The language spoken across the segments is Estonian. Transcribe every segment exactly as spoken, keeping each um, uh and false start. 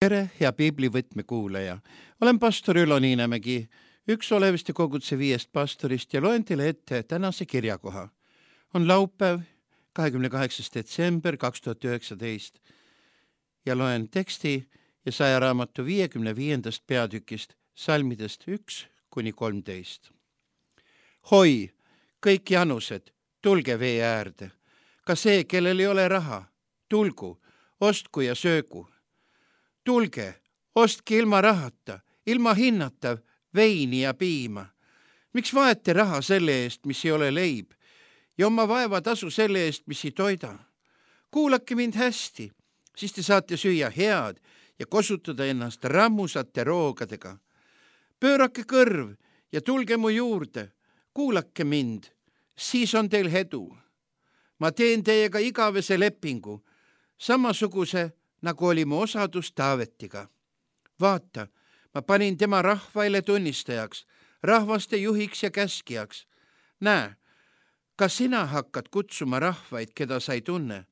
Tere, hea piiblivõtme kuulaja. Olen pastor Ülo Niinemägi, üks Oleviste koguduse viiest pastorist ja loen teile ette tänase kirjakoha. On laupäev, kahekümne kaheksas detsember kaks tuhat üheksateist ja loen teksti Jesaja raamatu viiekümne viiendast peatükist, salmidest üks kuni kolmteist. Hoi, kõik janused, tulge vee äärde. Ka see, kellel ei ole raha, tulgu, ostku ja söögu. Tulge, ostke ilma rahata, ilma hinnata veini ja piima. Miks vaete raha selle eest, mis ei ole leib, ja oma vaeva tasu selle eest, mis ei toida? Kuulake mind hästi, siis te saate süüa head ja kosutada ennast rammusate roogadega. Pöörake kõrv ja tulge mu juurde, kuulake mind, siis on teil edu. Ma teen teiega igavese lepingu, samasuguse nagu oli mu osadus Taavetiga. Vaata, ma panin tema rahvaile tunnistajaks, rahvaste juhiks ja käskijaks. Näe, ka sina hakkad kutsuma rahvaid, keda sa ei tunne,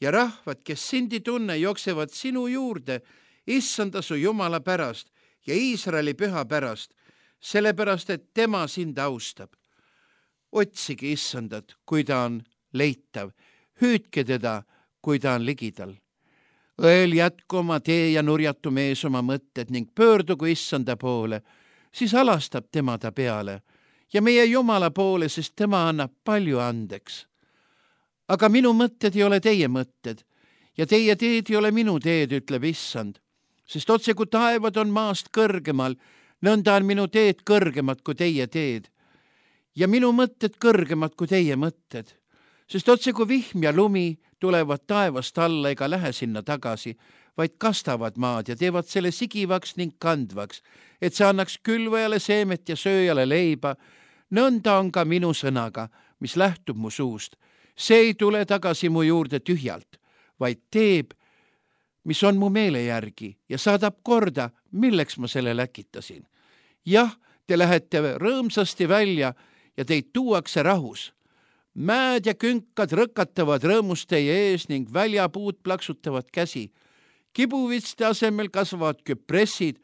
ja rahvad, kes sind ei tunne, jooksevad sinu juurde, issanda su Jumala pärast ja Iisraeli püha pärast, sellepärast, et tema sind austab. Otsige issandat, kui ta on leitav, hüüdke teda, kui ta on ligidal. Õel jätku oma tee ja nurjatu mees oma mõtted ning pöördugu issanda poole, siis alastab tema ta peale ja meie Jumala poole, sest tema annab palju andeks. Aga minu mõtted ei ole teie mõtted ja teie teed ei ole minu teed, ütleb issand, sest otse kui taevad on maast kõrgemal, nõnda on minu teed kõrgemad kui teie teed ja minu mõtted kõrgemad kui teie mõtted. Sest otse kui vihm ja lumi tulevad taevast alla ega lähe sinna tagasi, vaid kastavad maad ja teevad selle sigivaks ning kandvaks, et see annaks külvajale seemet ja sööjale leiba. Nõnda on ka minu sõnaga, mis lähtub mu suust. See ei tule tagasi mu juurde tühjalt, vaid teeb, mis on mu meele järgi ja saadab korda, milleks ma selle läkitasin. Jah, te lähete rõõmsasti välja ja teid tuuakse rahus. Mäed ja künkad rõkatavad rõõmust teie ees ning väljapuud plaksutavad käsi. Kibuvitste asemel kasvavad küpressid,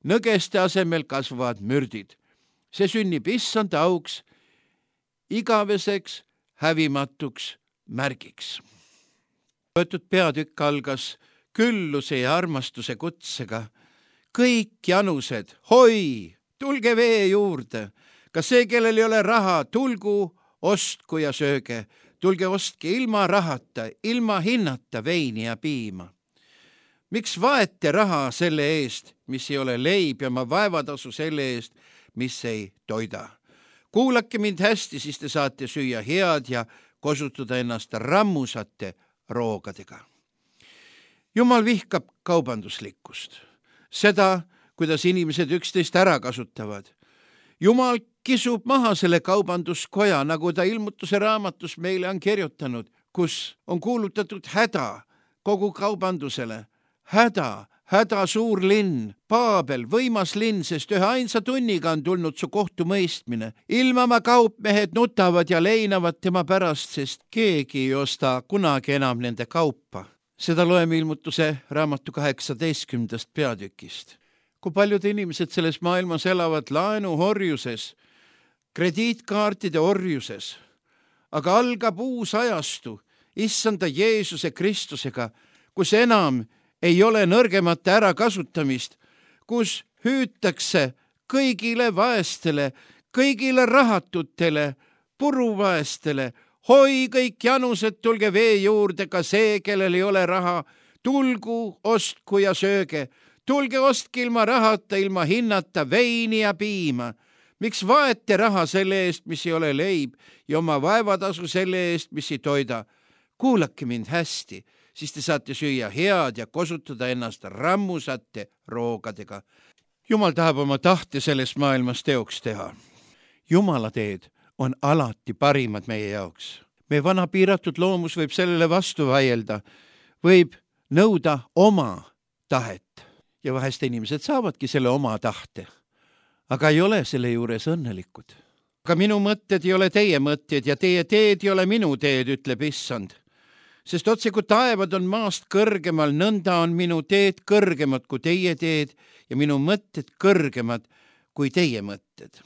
nõgeste asemel kasvavad mürdid. See sünnib issanda auks, igaveseks, hävimatuks märgiks. Võetud peatükk algas külluse ja armastuse kutsega. Kõik janused, hoi, tulge vee juurde. Ka see, kellel ei ole raha, tulgu, ostku ja sööge, tulge ostke ilma rahata, ilma hinnata veini ja piima. Miks vaete raha selle eest, mis ei ole leib ja ma vaevatasu selle eest, mis ei toida? Kuulake mind hästi, siis te saate süüa head ja kosutada ennast rammusate roogadega. Jumal vihkab kaubanduslikkust, seda, kuidas inimesed üksteist ära kasutavad. Jumal kisub maha selle kaubanduskoja, nagu ta ilmutuse raamatus meile on kirjutanud, kus on kuulutatud häda kogu kaubandusele. Häda, häda suur linn, Paabel, võimas linn, sest ühe ainsa tunniga on tulnud su kohtumõistmine. Ilmama kaupmehed nutavad ja leinavad tema pärast, sest keegi ei osta kunagi enam nende kaupa. Seda loeme ilmutuse raamatu kaheksateistkümnendast peatükist. Kui paljud inimesed selles maailmas elavad laenuhorjuses, krediitkaartide orjuses, aga algab uus ajastu issanda Jeesuse Kristusega, kus enam ei ole nõrgemate ärakasutamist, kus hüütakse kõigile vaestele, kõigile rahatutele, puruvaestele, hoi kõik janused, tulge vee juurde, ka see, kellel ei ole raha, tulgu, ostku ja sööge. Tulge ostke ilma rahata, ilma hinnata veini ja piima. Miks vaete raha selle eest, mis ei ole leib ja oma vaevatasu selle eest, mis ei toida? Kuulake mind hästi, siis te saate süüa head ja kosutada ennast rammusate roogadega. Jumal tahab oma tahte selles maailmas teoks teha. Jumala teed on alati parimad meie jaoks. Meie vana piiratud loomus võib sellele vastu vaielda, võib nõuda oma tahet. Ja vahest inimesed saavadki selle oma tahte, aga ei ole selle juures õnnelikud. Aga minu mõtted ei ole teie mõtted ja teie teed ei ole minu teed, ütleb issand. sest otse kui taevad on maast kõrgemal, nõnda on minu teed kõrgemad kui teie teed ja minu mõtted kõrgemad kui teie mõtted.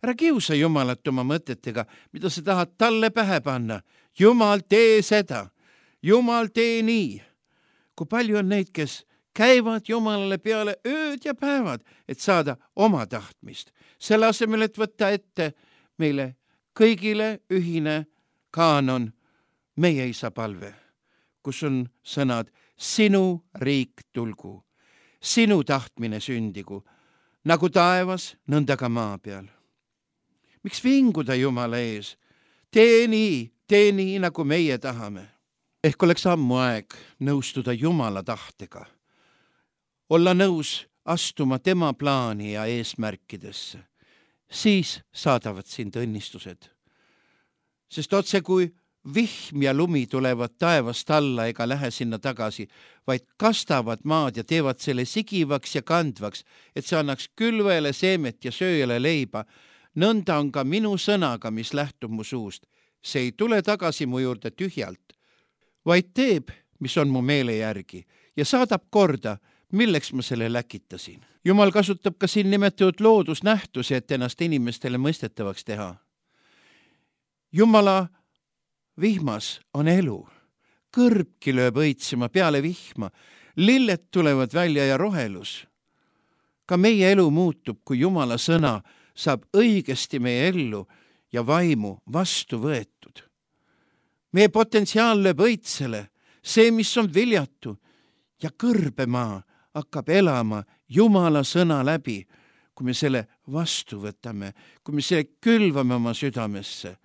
Ära kiusa Jumalat oma mõtetega, mida sa tahad talle pähe panna. Jumal, tee seda. Jumal, tee nii. Kui palju on neid, kes käivad Jumalale peale ööd ja päevad, et saada oma tahtmist. Selle asemel, et võtta ette meile kõigile ühine kaanon, meie isa palve, kus on sõnad sinu riik tulgu, sinu tahtmine sündigu, nagu taevas, nõnda ka maa peal. Miks vinguda Jumala ees? Tee nii, tee nii, nagu meie tahame. Ehk oleks ammu aeg nõustuda Jumala tahtega, olla nõus astuma tema plaani ja eesmärkidesse. Siis saadavad sind õnnistused. Sest otse kui vihm ja lumi tulevad taevast alla ega lähe sinna tagasi, vaid kastavad maad ja teevad selle sigivaks ja kandvaks, et see annaks külvele seemet ja sööjale leiba. Nõnda on ka minu sõnaga, mis lähtub mu suust. See ei tule tagasi mu juurde tühjalt, vaid teeb, mis on mu meele järgi ja saadab korda, milleks ma selle läkitasin. Jumal kasutab ka siin nimetatud loodusnähtusi, et ennast inimestele mõistetavaks teha. Jumala vihmas on elu. Kõrbki lööb õitsema peale vihma. Lilled tulevad välja ja rohelus. Ka meie elu muutub, kui Jumala sõna saab õigesti meie ellu ja vaimu vastu võetud. Meie potentsiaal lööb õitsele, see, mis on viljatu ja kõrbemaa hakkab elama Jumala sõna läbi, kui me selle vastu võtame, kui me selle külvame oma südamesse.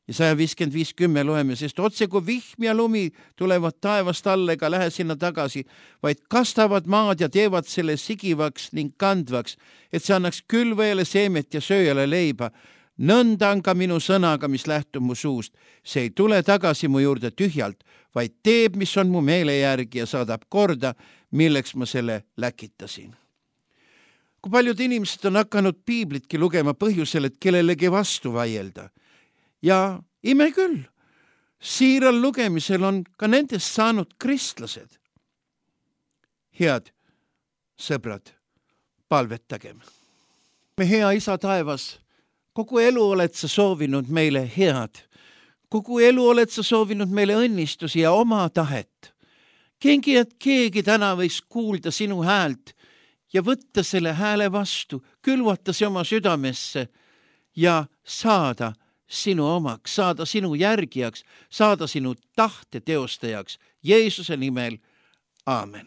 Ja sada viiskümmend viis kümme loeme, sest otse kui vihm ja lumi tulevad taevast alla ega lähe sinna tagasi, vaid kastavad maad ja teevad selle sigivaks ning kandvaks, et see annaks külvajale seemet ja sööjale leiba. Nõnda on ka minu sõnaga, mis lähtub mu suust. See ei tule tagasi mu juurde tühjalt, vaid teeb, mis on mu meele järgi ja saadab korda, milleks ma selle läkitasin. Kui paljud inimesed on hakanud piiblitki lugema põhjusel, et kellelegi vastu vaielda. Ja ime küll, siiral lugemisel on ka nendest saanud kristlased. Head sõbrad, palvetagem. Me hea isa taevas, kogu elu oled sa soovinud meile head. Kogu elu oled sa soovinud meile õnnistusi ja oma tahet. Kengi, et keegi täna võiks kuulda sinu häält ja võtta selle hääle vastu, külvata see oma südamesse ja saada sinu omaks, saada sinu järgijaks, saada sinu tahte teostajaks. Jeesuse nimel, aamen.